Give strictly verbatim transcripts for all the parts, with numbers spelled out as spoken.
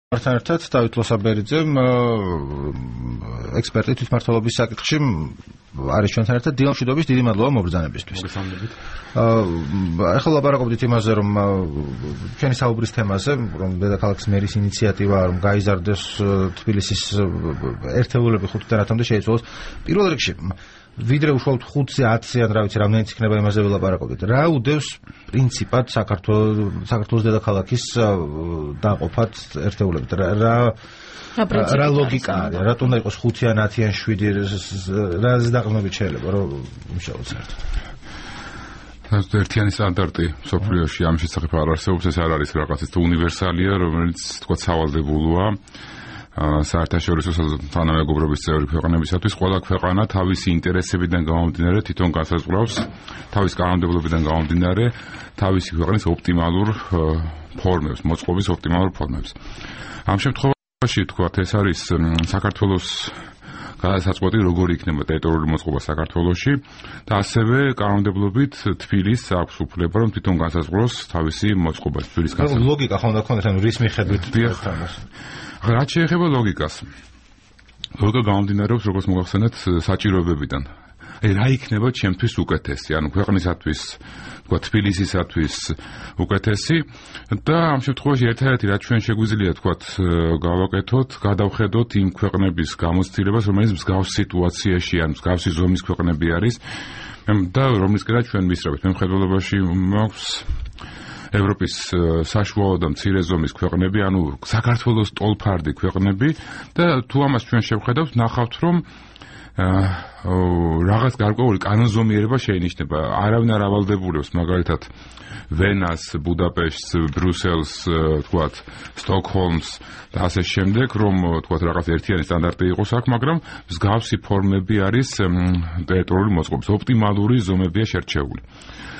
მართან ერთად დავით ლოსაბერიძემ ექსპერტი თვითმმართველობის საკითხში არის ჩვენთან ერთად. დილა მშვიდობის, დიდი მადლობა მობრძანებისთვის. ახლა ლაპარაკობდით იმაზე, რომ ჩვენი საუბრის თემაზე, რომ დედაქალაქის მერის ინიციატივა, რომ გაიზარდეს თბილისის ერთეულები ხუთიდან ათამდე შეიცვალოს. პირველ რიგში ვიდრე უშუალოდ ხუთზე ათზე ან რა ვიცი რამდენიც იქნება იმაზე ველაპარაკობდით. რა უდევს პრინციპად საქართველოს საქართველოს დედაქალაქის დაყოფად ერთეულებით? რა რა ლოგიკა არის? რატომ უნდა იყოს ხუთი ან ათი ან შვიდი? რა ზედაყრდნობით შეიძლება რომ იმუშაოს საერთოდ? ერთიანი სტანდარტი სოფლიოში ამ შესახებ არ არსებობს. ეს არ არის რაღაცის უნივერსალია, რომელიც თქვა სავალდებულოა საერთაშორისო თანამეგობრობის წევრი ქვეყნებისათვის. ყველა ქვეყანა თავისი ინტერესებიდან გამომდინარე თვითონ განსაზღვრავს თავის კანონმდებლობიდან გამომდინარე თავისი ქვეყნის ოპტიმალურ ფორმებს, მოწყობის ოპტიმალურ ფორმებს. ამ შემთხვევაში თქვა ეს არის საქართველოს გადასაწყვეტი როგორი იქნება ტერიტორიული მოწყობა საქართველოში და ასევე კანონმდებლობით თბილისს აქვს უფლება რომ თვითონ განსაზღვროს თავისი მოწყობა თბილისის განსაზღვრა. ლოგიკა ხო უნდა ქონდეს, ანუ რის მიხედვით თამას. რაც შეეხება ლოგიკას. ლოგიკა გამომდინარეობს, როგორც მოგახსენეთ, საჭიროებებიდან. აი რა იქნება ჩემთვის უკეთესი, ანუ ქვეყნისათვის, თქვა თბილისისათვის უკეთესი და ამ შემთხვევაში ერთადერთი რაც ჩვენ შეგვიძლია თქვა გავაკეთოთ, გადავხედოთ იმ ქვეყნების გამოცდილებას, რომელიც მსგავს სიტუაციაში ან მსგავსი ზომის ქვეყნები არის და რომლისკენ ჩვენ ვისწრებით. მე მხედველობაში მაქვს ევროპის საშუალო და მცირე ზომის ქვეყნები, ანუ საქართველოს ტოლფარდი ქვეყნები და თუ ამას ჩვენ შევხედავთ, ნახავთ რომ რაღაც გარკვეული კანონზომიერება შეინიშნება. არავინ არ ავალდებულებს მაგალითად ვენას, ბუდაპეშტს, ბრიუსელს, თქვათ სტოკჰოლმს და ასე შემდეგ, რომ თქვათ რაღაც ერთიანი სტანდარტი იყოს აქ, მაგრამ მსგავსი ფორმები არის ტერიტორიული მოწყობის, ოპტიმალური ზომებია შერჩეული.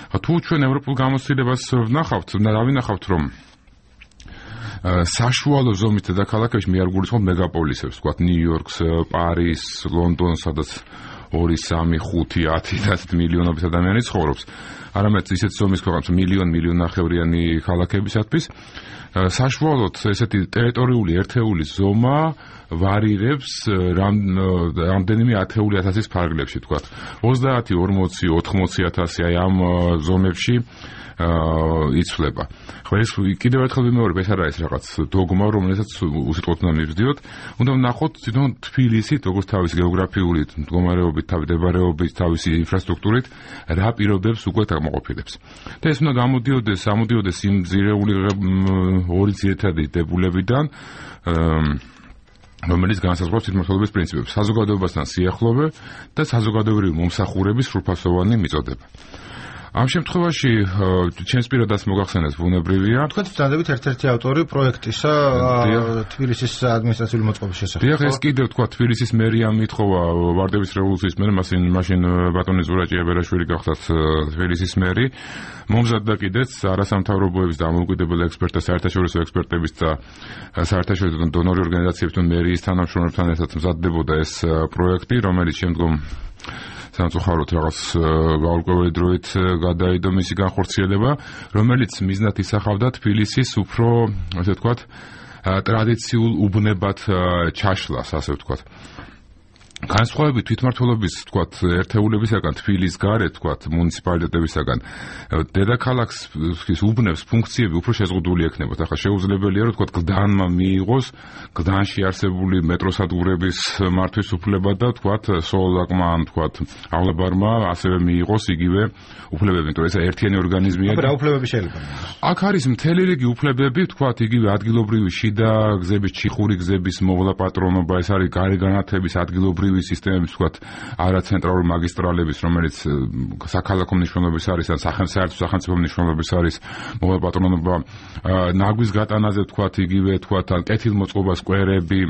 თუ ჩვენ ევროპულ გამოცდილებას ვნახავთ, რა ვინახავთ, რომ საშუალო ზომის დედაქალაქებში მე არ გულისხმობ მეგაპოლისებს, თქვათ ნიუ-იორკს, პარიზს, ლონდონს, სადაც ორი, სამი, ხუთი, ათი და ასეთი მილიონობით ადამიანი ცხოვრობს. არამედ ისეთ ზომის ქვეყნებს მილიონ, მილიონ ნახევრიანი ქალაქებისათვის საშუალოდ ესეთი ტერიტორიული ერთეულის ზომა ვარირებს რამდენიმე ათეული ათასის ფარგლებში, თქვათ ოცდაათი, ორმოცი, ოთხმოცი ათასი აი ამ ზომებში იცვლება. ხო ეს კიდევ ერთხელ ვიმეორებ, ეს არ არის რაღაც დოგმა, რომელსაც უსიტყვოდ უნდა მივსდიოთ. უნდა ვნახოთ თვითონ თბილისით, როგორც თავის გეოგრაფიული მდგომარეობით, თავის მდებარეობით, თავისი ინფრასტრუქტურით, რა პირობებს უკვე გამოყოფილებს. და ეს უნდა გამოდიოდეს, ამოდიოდეს იმ ძირეული ორი ძირითადი დებულებიდან, რომელიც განსაზღვრავს თვითმმართველობის პრინციპებს, საზოგადოებასთან სიახლოვე და საზოგადოებრივი მომსახურების სრულფასოვანი მიწოდება. ამ შემთხვევაში ჩემს პირადად მოგახსენეთ ბუნებრივია. თქვენ ბრძანდებით ერთ-ერთი ავტორი პროექტისა თბილისის ადმინისტრაციული მოწყობის შესახებ. დიახ, ეს კიდევ თქვა თბილისის მერიამ მითხოვა ვარდების რევოლუციის მერე, მაშინ მაშინ ბატონი ზურაჭი აბერაშვილი გახდათ თბილისის მერი. მომზადდა კიდეც არასამთავრობოების და დამოუკიდებელ ექსპერტთა, საერთაშორისო ექსპერტების და საერთაშორისო დონორი ორგანიზაციებთან მერიის თანამშრომლებთან ერთად მზადდებოდა ეს პროექტი, რომელიც შემდგომ სამწუხაროდ რაღაც გაურკვეველი დროით გადაიდო მისი განხორციელება, რომელიც მიზნად ისახავდა თბილისის უფრო, ასე ვთქვათ, ტრადიციულ უბნებად ჩაშლას, ასე ვთქვათ. განსხვავებით თვითმმართველობის, თქვათ, ერთეულებისაგან, თბილისის გარეთ, თქვათ, მუნიციპალიტეტებისაგან, დედაქალაქის უბნებს ფუნქციები უფრო შეზღუდული ექნებათ. ახლა შეუძლებელია, რომ თქვათ, გლდანმა მიიღოს გლდანში არსებული მეტროსადგურების მართვის უფლება და თქვათ, სოლაკმა, ან თქვათ, აღლაბარმა ასევე მიიღოს იგივე უფლებები, იმიტომ რომ ეს ერთიანი ორგანიზმია. რა უფლებები შეიძლება? აქ არის მთელი რიგი უფლებები, თქვათ, იგივე ადგილობრივი შიდა გზების, ჩიხური გზების მოვლა პატრონობა, ეს არის გარეგანათების ადგილობრივი სისტემების, თქვათ, არაცენტრალური მაგისტრალების, რომელიც საქალაქო მნიშვნელობის არის ან სახელმწიფო სახელმწიფო მნიშვნელობის არის, მოვლა პატრონობა, ნაგვის გატანაზე, თქვათ, იგივე, თქვათ, ან კეთილმოწყობა სკვერები,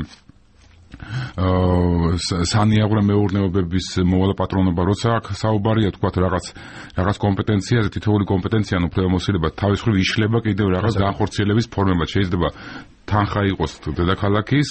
სანიაღვრე მეურნეობების მოვლა პატრონობა, როცა აქ საუბარია, თქვათ, რაღაც რაღაც კომპეტენციაზე, თითოეული კომპეტენცია ან უფლებამოსილება თავის მხრივ იშლება კიდევ რაღაც განხორციელების ფორმებად. შეიძლება თანხა იყოს დედაქალაქის,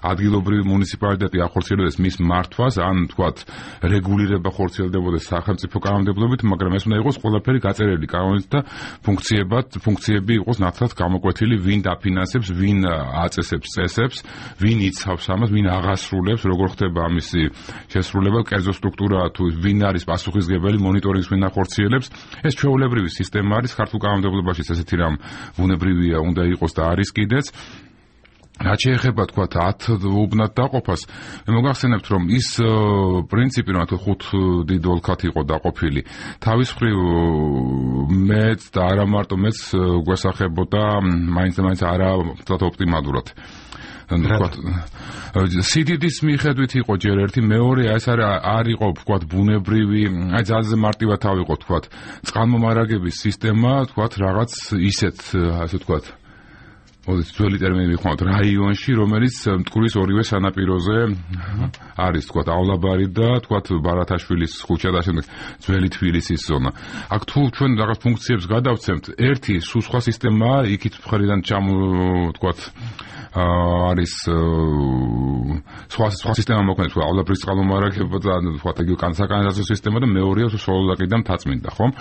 ადგილობრივი მუნიციპალიტეტი ახორციელებდეს მის მართვას, ან თქვათ რეგულირება ხორციელდებოდეს სახელმწიფო კანონმდებლობით, მაგრამ ეს უნდა იყოს ყველაფერი გაწერილი კანონით და ფუნქციებად, ფუნქციები იყოს ნათლად გამოკვეთილი, ვინ დაფინანსებს, ვინ აწესებს წესებს, ვინ იცავს ამას, ვინ აღასრულებს, როგორ ხდება ამისი შესრულება, კერძო სტრუქტურა თუ ვინ არის პასუხისმგებელი, მონიტორინგს ვინ ახორციელებს. ეს ჩვეულებრივი სისტემა არის ქართულ კანონმდებლობაში, ესეთი რამ ბუნებრივია უნდა იყოს და არის კიდეც. რაც შეეხება თქვათ ათ უბნად დაყოფას, მე მოგახსენებთ რომ ის პრინციპი რომ თუ ხუთ დიდ ოლქად იყო დაყოფილი, თავის მხრივ მეც და არა მარტო მეც გვესახებოდა მაინც და მაინც არა ოპტიმალურად. თქვათ სიდიდის მიხედვით იყო ჯერ ერთი, მეორე ეს არ იყო თქვათ ბუნებრივი, აი ძალზე მარტივად ავიღო თქვათ წყალმომარაგების სისტემა, თქვათ რაღაც ისეთ ასე თქვათ მოდით ძველი ტერმინი ვიხმაროთ რაიონში, რომელიც მტკვრის ორივე სანაპიროზე არის, თქვათავლაბარი და თქვათ ბარათაშვილის ქუჩა და შემდეგ ძველი თბილისის ზონა. აქ თუ ჩვენ რაღაც ფუნქციებს გადავცემთ, ერთი სულ სხვა სისტემაა, იქით მხრიდან ჩამო თქვათ არის სხვა სხვა სისტემა მოქმედებს, თქვაავლაბრის წყალმომარაგება და თქვათ იგივე კანალიზაციო სისტემა და მეორეა თუ სოლოლაკიდან თაწმინდა, ხომ?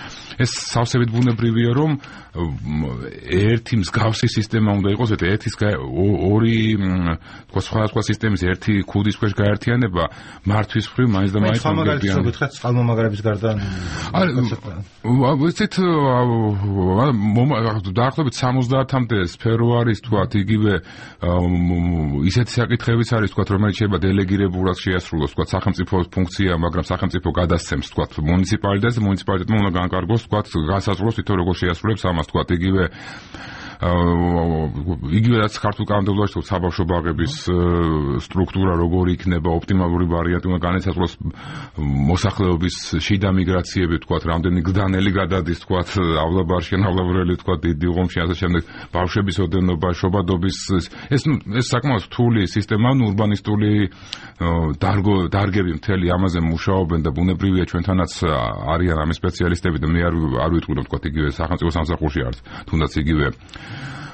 ეს სავსებით ბუნებრივია, რომ ერთი მსგავსი სისტემა უნდა იყოს, ერთის ორი თქვა სხვა სხვა სისტემის ერთი ქუდის ქვეშ გაერთიანება მართვის მხრივ მაინც და მაინც მომგებიან. მე ხომ წყალმომაგრების გარდა არ ვიცით დაახლოებით სამოცდაათამდე სფერო არის, თქვათ იგივე ისეთი საკითხებიც არის, თქვათ რომელიც შეიძლება დელეგირებულად შეასრულოს, თქვათ სახელმწიფო ფუნქცია, მაგრამ სახელმწიფო გადასცემს, თქვათ მუნიციპალიტეტს, მუნიციპალიტეტმა უნდა განკარგოს, თქვათ განსაზღვროს თვითონ როგორ შეასრულებს ამას, თქვათ იგივე იგივე რაც ქართულ კანონმდებლობაში თუ საბავშვო ბაღების სტრუქტურა როგორი იქნება, ოპტიმალური ვარიანტი უნდა განესაზღვროს მოსახლეობის შიდა მიგრაციები, თქვათ რამდენი გზდანელი გადადის, თქვათავლაბარში,ავლავრელი, თქვათ დიდი ღომში, ასე შემდეგ ბავშვების ოდენობა, შობადობის ეს ეს საკმაოდ რთული სისტემა, ურბანისტული დარგო დარგები მთელი ამაზე მუშაობენ და ბუნებრივია ჩვენთანაც არიან ამ სპეციალისტები და მე არ არ ვიტყვი რომ თქვათ იგივე სახელმწიფო სამსახურში არის, თუნდაც იგივე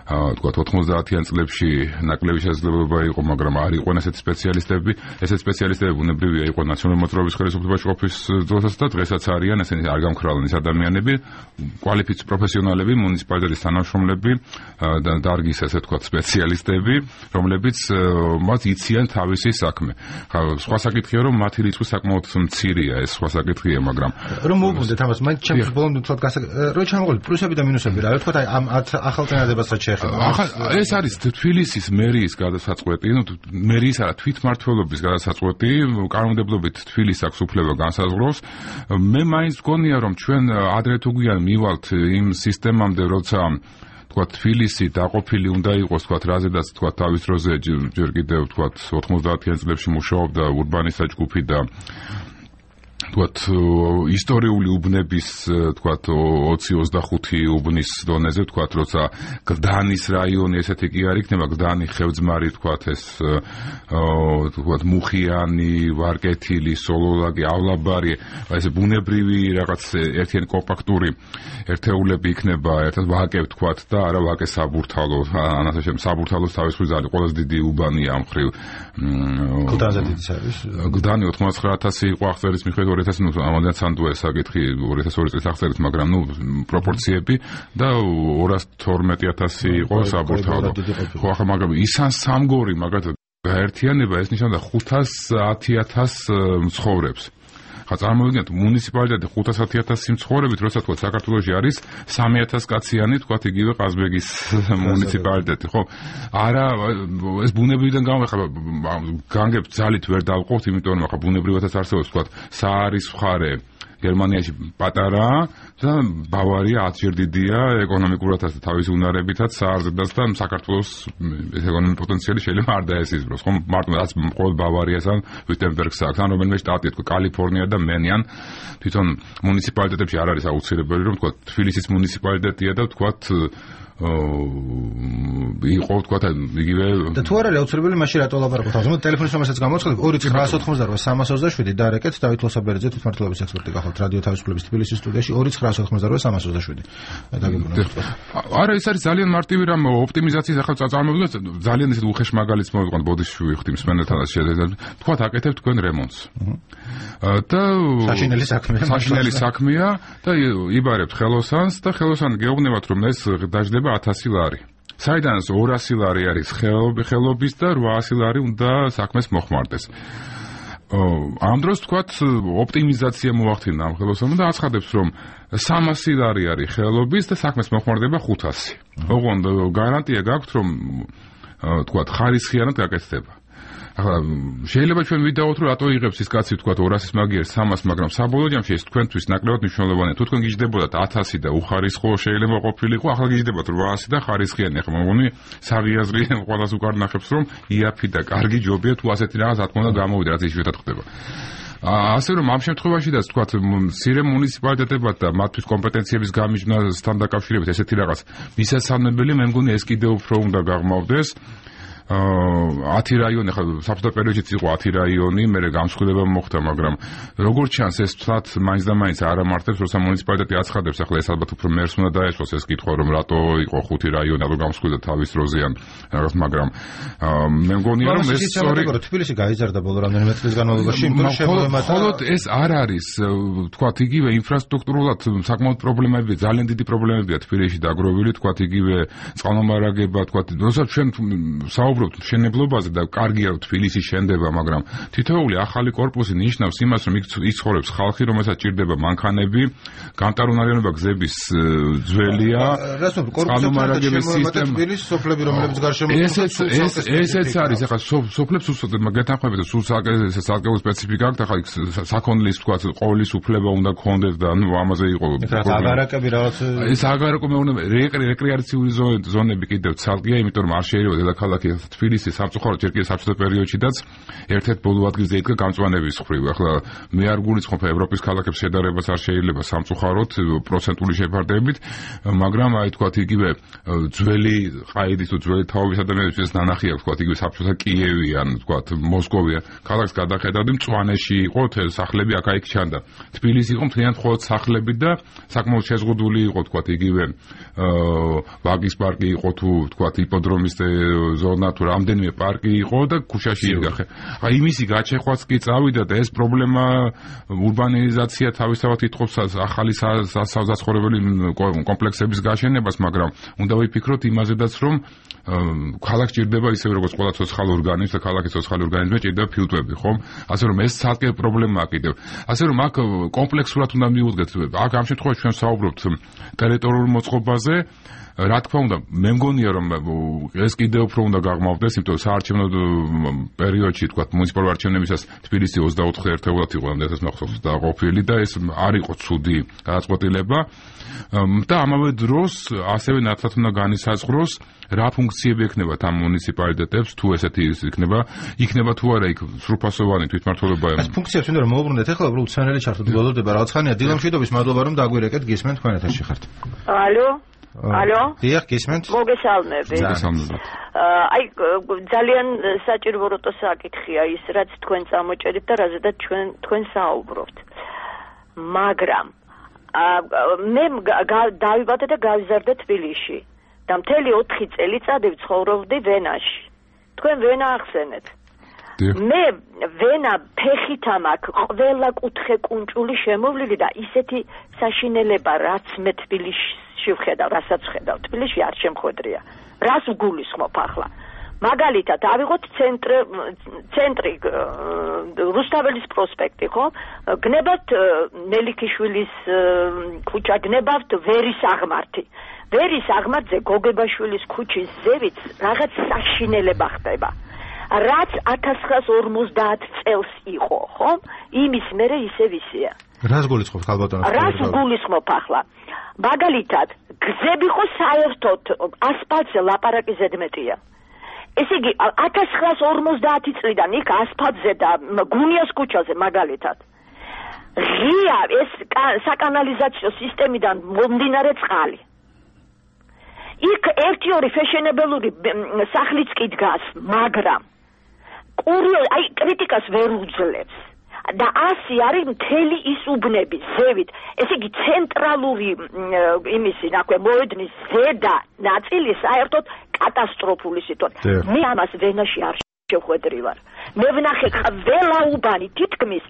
თქვათ ოთხმოცდაათიან წლებში ნაკლები შესაძლებლობა იყო, მაგრამ არ იყვნენ ესეთი სპეციალისტები. ესეთი სპეციალისტები ბუნებრივია იყო ნაციონალური მოძრაობის ხელისუფლებაში ყოფნის დროსაც და დღესაც არიან, ესენი არ გამქრალენ ის ადამიანები, კვალიფიცირებული პროფესიონალები, მუნიციპალიტეტის თანამშრომლები და დარგის ესე თქვათ სპეციალისტები, რომლებიც მათ იციან თავისი საქმე. სხვა საკითხია, რომ მათი რიცხვი საკმაოდ მცირეა, ეს სხვა საკითხია, მაგრამ რომ მოვუბრუნდეთ ამას, მაინც ჩემს ბოლომდე თქვათ რო ჩამოყოლით პლუსები და მინუსები რა, თქვათ აი ამ ახალ წინადებასაც ეს არის თბილისის მერიის გადასაწყვეტი, ნუ მერიის არა, თვითმმართველობის გადასაწყვეტი, კანონმდებლობით თბილისს აქვს უფლება განსაზღვროს. მე მაინც გონია, რომ ჩვენ ადრე თუ გვიან მივალთ იმ სისტემამდე, როცა თქვათ თბილისი დაყოფილი უნდა იყოს, თქვათ რაზედაც თქვათ თავის დროზე ჯერ კიდევ თქვათ ოთხმოცდაათიან წლებში მუშაობდა ურბანისტთა ჯგუფი და თქვათ ისტორიული უბნების თქვათ ოცი ოცდახუთი უბნის დონეზე, თქვათ როცა გდანის რაიონი ესეთი კი არ იქნება, გდანი, ხევძმარი, თქვათ ეს თქვათ მუხიანი, ვარკეთილი, სოლოლაკი,ავლაბარი, ეს ბუნებრივი რაღაც ერთიანი კომპაქტური ერთეულები იქნება, ერთად ვაკე თქვათ და არა ვაკე საბურთალო, ანასე შემ საბურთალოს თავის ხიზალი ყველაზე დიდი უბანია ამ ხრივ. გდანზე დიდიც არის. გდანი ოცდაათასი იყო აღწერის მიხედვით ორი ათასი, ნუ ამოდენად სანდუა საკითხი ორი ათას ორი წლის აღწერით, მაგრამ ნუ პროპორციები და ორას თორმეტი ათასი იყო საბურთალო. ხო, ახლა მაგრამ ისან სამგორი მაგათად გაერთიანება ეს ნიშნავდა ხუთას ათი ათას მცხოვრებს. ხა წარმოვიდგინეთ მუნიციპალიტეტი ხუთას ათი ათასი მცხოვრებით, როცა თქვა საქართველოში არის სამი ათას კაციანი, თქვა იგივე ყაზბეგის მუნიციპალიტეტი, ხო? არა, ეს ბუნებრივიდან გამოვიხარ, განგებ ძალით ვერ დავყავთ, იმიტომ რომ ხა ბუნებრივადაც არსებობს, თქვა საარის მხარე გერმანიაში პატარა და ბავარია ათჯერ დიდია ეკონომიკურადაც და თავის უნარებითაც საარზედაც და საქართველოს ეკონომიკური პოტენციალი შეიძლება არ დაესიზმროს, ხომ? მარტო რაც ყოველ ბავარიასთან ვიტენბერგს აქვს, ან რომელიმე შტატი, თქვა კალიფორნია და მენიან, თვითონ მუნიციპალიტეტებში არ არის აუცილებელი, რომ თქვა თბილისის მუნიციპალიტეტია და თქვა იყო თქვა იგივე და თუ არ არის აუცილებელი მაშინ რატო ლაპარაკობთ ამაზე ტელეფონის ნომერსაც გამოვაცხადებ ორი ცხრაასი ოცდაოთხმოცდაოთხი სამას ოცდაშვიდი და რეკეთ დავით ლოსაბერძე თვითმმართველობის ექსპერტი გახალთ რადიო თავისუფლების თბილისის სტუდიაში ორი ცხრაასი ოცდაოთხმოცდაოთხი სამას ოცდაშვიდი არა ეს არის ძალიან მარტივი რამ ოპტიმიზაციის ახლა წარმოგვიდგეთ ძალიან ისეთ უხეშ მაგალითს მოვიყვანთ ბოდიში ვიხდი მსმენელთანაც შედედებით თქვა აკეთებ თქვენ რემონტს და საშინელი საქმეა საშინელი საქმეა და იბარებთ ხელოსანს და ხელოსანი გეუბნებათ რომ ეს დაждდება ათასი ლარი საიდანაც ორასი ლარი არის ხელობის და რვაასი ლარი უნდა საქმეს მოხმარდეს. ამ დროს თქვათ ოპტიმიზაცია მოახდინა ამ ხელოსანმა და აცხადებს რომ სამასი ლარი არის ხელობის და საქმეს მოხმარდება ხუთასი. ოღონდ გარანტია გაქვთ რომ თქვათ ხარისხიანად გაკეთდება. ახლა შეიძლება ჩვენ ვიდაოთ რომ რატო იღებს ის კაცი თქვათ ორასის მაგიერს სამას მაგრამ საბოლოო ჯამში ეს თქვენთვის ნაკლებად მნიშვნელოვანია თუ თქვენ გიждდებოდათ ათასი და უხარისხო შეიძლება ყოფილიყო ახლა გიждდებათ რვაასი და ხარისხიანი ახლა მოგონი საღიაზრი ყველას უკარ ნახებს რომ იაფი და კარგი ჯობია თუ ასეთი რაღაც რა თქმა უნდა გამოვიდა რაც იშვიათად ხდება ასე რომ ამ შემთხვევაშიდაც თქვათ მცირე მუნიციპალიტეტებად და მათთვის კომპეტენციების გამიჯვნასთან დაკავშირებით ესეთი რაღაც მისასალმებელი მე მგონი ეს კიდევ უფრო უნდა გაღმავდეს ათი რაიონი ხა საბჭოთა პერიოდშიც იყო ათი რაიონი, მერე გამსხვილება მოხდა, მაგრამ როგორც ჩანს ეს თვათ მაინც და მაინც არ ამართებს, როცა მუნიციპალიტეტი აცხადებს, ახლა ეს ალბათ უფრო მერს უნდა დაეშვოს ეს კითხვა, რომ რატო იყო ხუთი რაიონი, რატო გამსხვილდა თავის დროზე ან რაღაც, მაგრამ მე მგონია რომ ეს სწორი თბილისი გაიზარდა ბოლო რამდენიმე წლის განმავლობაში, იმიტომ რომ შემოემატა მხოლოდ ეს არ არის, თქვათ იგივე ინფრასტრუქტურულად საკმაოდ პრობლემებია, ძალიან დიდი პრობლემებია თბილისში დაგროვილი, თქვათ იგივე წყალმომარაგება, თქვათ, როცა ჩვენ საუბრობთ მშენებლობაზე და კარგია თბილისი შენდება, მაგრამ თითოეული ახალი კორპუსი ნიშნავს იმას, რომ იქ ცხოვრობს ხალხი, რომელსაც ჭირდება მანქანები, გამტარუნარიანობა გზების ძველია, წყალმომარაგების სისტემა, თბილისის სოფლები, რომლებიც გარშემო ესეც არის, ახლა სოფლებს უსწოდეთ, გეთანხმებით, სულ საკეულ სპეციფიკა აქვს, ახლა იქ საქონლის თქვა ყოვლის უფლება უნდა გქონდეს და ნუ ამაზე იყო აგარაკები რაღაც ეს აგარაკო მეუბნება რეკრეაციული ზონები კიდევ ცალკეა, იმიტომ რომ არ შეიძლება დედაქალაქი თბილისი სამწუხაროდ ჯერ კიდევ საბჭოთა პერიოდშიდაც ერთ-ერთ ბოლო ადგილზე იდგა გამწვანების მხრივ. ახლა მე არ გულისხმობ ევროპის ქალაქებს შედარებას არ შეიძლება სამწუხაროდ პროცენტული შეფარდებით, მაგრამ აი თქვათ იგივე ძველი ყაიდის თუ ძველი თაობის ადამიანებისთვის ნანახი აქვს თქვათ იგივე საბჭოთა კიევი ან თქვათ მოსკოვი ქალაქს გადახედავდი მწვანეში იყო სახლები აქა-იქ ჩანდა. თბილისი იყო მთლიანად მხოლოდ სახლები და საკმაოდ შეზღუდული იყო თქვათ იგივე ვაგის პარკი იყო თუ თქვათ იპოდრომის ზონა თუ რამდენიმე პარკი იყო და ქუჩაში იდგა. ხა იმისი გაჩეხვაც კი წავიდა და ეს პრობლემა ურბანიზაცია თავისთავად ითხოვს ახალი საზაცხოვრებელი კომპლექსების გაშენებას, მაგრამ უნდა ვიფიქროთ იმაზედაც, რომ ქალაქს ჭირდება ისე როგორც ყველა ცოცხალ ორგანიზმს და ქალაქის ცოცხალი ორგანიზმი ჭირდება ფილტვები, ხომ? ასე რომ ეს ცალკე პრობლემაა კიდევ. ასე რომ აქ კომპლექსურად უნდა მივუდგეთ. აქ ამ შემთხვევაში ჩვენ საუბრობთ ტერიტორიულ მოწყობაზე. რა თქმა უნდა, მე მგონია რომ ეს კიდევ უფრო უნდა გაღმავდეს, იმიტომ რომ საარჩევნო პერიოდში, თქვა, მუნიციპალური არჩევნებისას თბილისი ოცდაოთხ ერთეულად იყო ამდენს მახსოვს და ყოფილი და ეს არ იყო ცუდი გადაწყვეტილება და ამავე დროს ასევე ნათლად უნდა განისაზღვროს რა ფუნქციები ექნება ამ მუნიციპალიტეტებს, თუ ესეთი იქნება, იქნება თუ არა იქ სრულფასოვანი თვითმმართველობა. ეს ფუნქციებს უნდა რომ მოუბრუნდეთ, ახლა უბრალოდ უცნაური ჩართოთ გველოდება რაღაც ხანია. დილა მშვიდობის, მადლობა რომ დაგვირეკეთ, გისმენთ თქვენ ეთერში ხართ. ალო ალო დიახ, გისმენთ. მოგესალმებით. მოგესალმებით. აი ძალიან საჭირო როტო საკითხია ის, რაც თქვენ წამოჭერით და რაზედაც ჩვენ თქვენ საუბრობთ. მაგრამ მე დავიბადე და გავიზარდე თბილისში და მთელი ოთხი წელიწადი ვცხოვრობდი ვენაში. თქვენ ვენა ახსენეთ. მე ვენა ფეხით ამაქვს ყველა კუთხე კუნჭული შემოვლილი და ისეთი საშინელება რაც მე თბილისში ვხედავ, რასაც ვხედავ თბილისში არ შემხვედრია. რას ვგულისხმობ ახლა? მაგალითად, ავიღოთ ცენტრი ცენტრი რუსთაველის პროსპექტი, ხო? გნებავთ ნელიქიშვილის ქუჩა, გნებავთ ვერის აღმართი. ვერის აღმართზე გოგებაშვილის ქუჩის ზევით რაღაც საშინელება ხდება. რაც ათას ცხრაას ორმოცდაათ წელს იყო, ხო? იმის მერე ისე ვისია. რას გულისხმობ ხალბატონო? რას გულისხმობ ახლა? მაგალითად, გზები ხო საერთოდ ასფალტზე ლაპარაკი ზედმეტია. ესე იგი, ათას ცხრაას ორმოცდაათი წლიდან იქ ასფალტზე და გუნიას ქუჩაზე მაგალითად. ღია ეს საკანალიზაციო სისტემიდან მომდინარე წყალი. იქ ერთი ორი ფეშენებელური სახლიც კი დგას, მაგრამ კურიოზ, აი კრიტიკას ვერ უძლებს. და ასი არის მთელი ის უბნები ზევით, ესე იგი ცენტრალური იმისი ნაქვე მოედნის ზედა ნაწილი საერთოდ კატასტროფული სიტუაცია. მე ამას ვენაში არ შევხვედრი ვარ. მე ვნახე ყველა უბანი თითქმის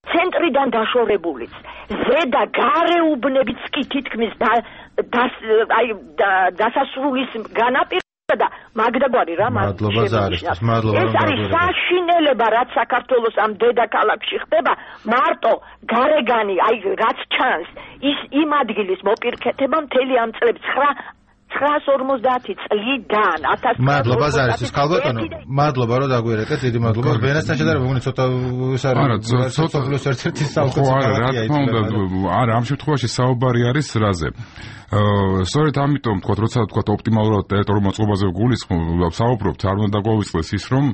ცენტრიდან დაშორებულიც, ზედა გარე უბნებიც კი თითქმის და აი დასასრულის განაპირ და მაგდაგვარი რა მადლობა ზარისთვის მადლობა ეს არის საშინელება რაც საქართველოს ამ დედაქალაქში ხდება მარტო გარეგანი აი რაც ჩანს ის იმ ადგილის მოპირკეთება მთელი ამ წლებს ცხრაას ორმოცდაათი წლიდან მადლობა ზარისთვის ქალბატონო მადლობა რომ დაგვიერეკეთ დიდი მადლობა ვენასთან შედარება მოგონი ცოტა ეს არის ცოტა პლუს ერთ-ერთი საუკეთესო არა ამ შემთხვევაში საუბარი არის რაზე სწორედ ამიტომ თქვა როცა თქვა ოპტიმალურად ტერიტორიულ მოწყობაზე ვგულისხმობთ არ უნდა დაგვავიწყდეს ის რომ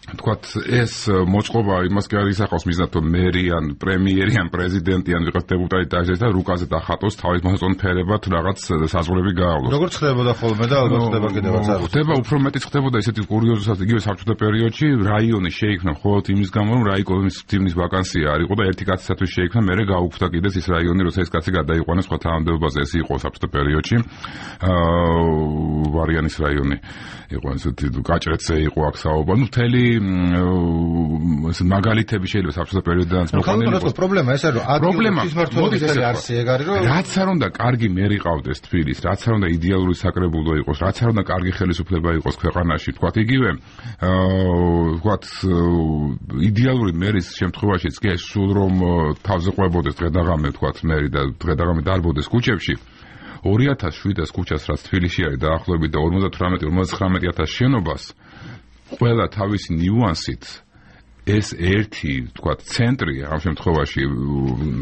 თქვათ ეს მოწყობა იმას კი არ ისახავს მიზნად რომ მერი ან პრემიერი ან პრეზიდენტი ან ვიღაც დეპუტატი დაიჭერს და რუკაზე დახატოს თავის მოსწონ ფერებად რაღაც საზღვრები გაავლოს. როგორ ხდებოდა ხოლმე და ალბათ ხდება კიდევაც არ. ხდება უფრო მეტიც ხდებოდა ესეთი კურიოზულად იგივე საბჭოთა პერიოდში რაიონი შეიქმნა მხოლოდ იმის გამო რომ რაიკოვის თემის ვაკანსია არ იყო და ერთი კაცისათვის შეიქმნა მერე გაუქმდა კიდეც ის რაიონი როცა ეს კაცი გადაიყვანეს სხვა თანამდებობაზე ეს იყო საბჭოთა პერიოდში აა ვარიანის რაიონი იყო ესეთი გაჭრეცე იყო აქ საუბარი ნუ მთელი ეს მაგალითები შეიძლება საბჭოთა პერიოდიდან მოყოლებული იყოს. პრობლემა ეს არის რომ ადგილების მმართველობის არსი ეგ არის რომ რაც არ უნდა კარგი მერი ყავდეს თბილის, რაც არ უნდა იდეალური საკრებულო იყოს, რაც არ უნდა კარგი ხელისუფლება იყოს ქვეყანაში, თქვათ იგივე აა თქვათ იდეალური მერის შემთხვევაშიც კი ეს სულ რომ თავზე ყვებოდეს დღედაღამე თქვათ მერი და დღედაღამე დარბოდეს ქუჩებში ორი ათას შვიდას ქუჩას რაც თბილისში არის დაახლოებით და ორმოცდათვრამეტი ორმოცდათხრამეტი ათას შენობას ყველა თავისი ნიუანსით ეს ერთი თქვა ცენტრი ამ შემთხვევაში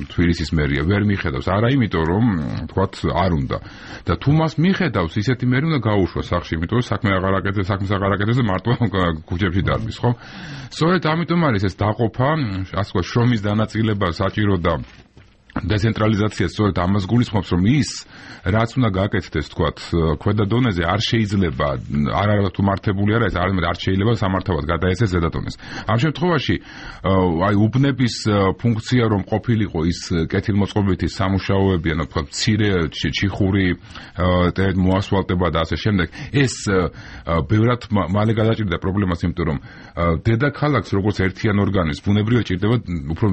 თბილისის მერია ვერ მიხედავს არა იმიტომ რომ თქვა არ უნდა და თუ მას მიხედავს ისეთი მერი უნდა გაუშვას სახში იმიტომ რომ საქმე აღარ აკეთებს საქმეს აღარ აკეთებს და მარტო ქუჩებში დარბის ხო სწორედ ამიტომ არის ეს დაყოფა ასე ვთქვათ შრომის დანაწილება საჭირო და დეცენტრალიზაცია სწორედ ამას გულისხმობს რომ ის რაც უნდა გააკეთდეს თქვათ ქვედა დონეზე არ შეიძლება არ არა თუ მართებული არა ეს არამედ არ შეიძლება სამართავად გადაეცეს ზედა დონეს ამ შემთხვევაში აი უბნების ფუნქცია რომ ყოფილიყო ის კეთილმოწყობითი სამუშაოები ანუ თქვათ მცირე ჩიხური მოასფალტება და ასე შემდეგ ეს ბევრად მალე გადაჭირდა პრობლემას იმიტომ რომ დედაქალაქს როგორც ერთიან ორგანიზმს ბუნებრივად ჭირდება უფრო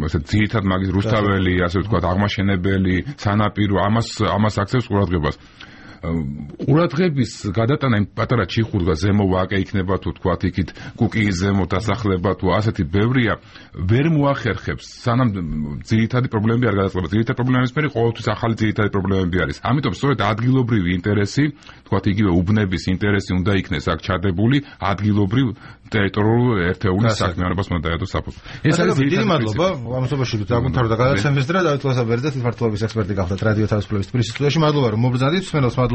ასე ძირითად მაგის რუსთაველი ასე ვთქვათ აღმაშენებელი სანაპირო ამას ამას აქცევს ყურადღებას ყურადღების გადატანა იმ პატარა ჩიხურდა ზემო ვაკე იქნება თუ თქვათ იქით კუკიის ზემო დასახლება თუ ასეთი ბევრია ვერ მოახერხებს სანამ ძირითადი პრობლემები არ გადაწყდება ძირითადი პრობლემების მერე ყოველთვის ახალი ძირითადი პრობლემები არის ამიტომ სწორედ ადგილობრივი ინტერესი თქვათ იგივე უბნების ინტერესი უნდა იქნეს აქ ჩადებული ადგილობრივ ტერიტორიულ ერთეულის საქმიანობას უნდა დაედოს საფუძველი ეს არის დიდი მადლობა ამასობაში დაგვთავრდა გადაცემის დღე დავით ლასაბერძე თვითმმართველობის ექსპერტი გახდათ რადიო თავისუფლების თბილისის სტუდიაში მადლობა რომ მობრძანდით მსმენელს მადლობა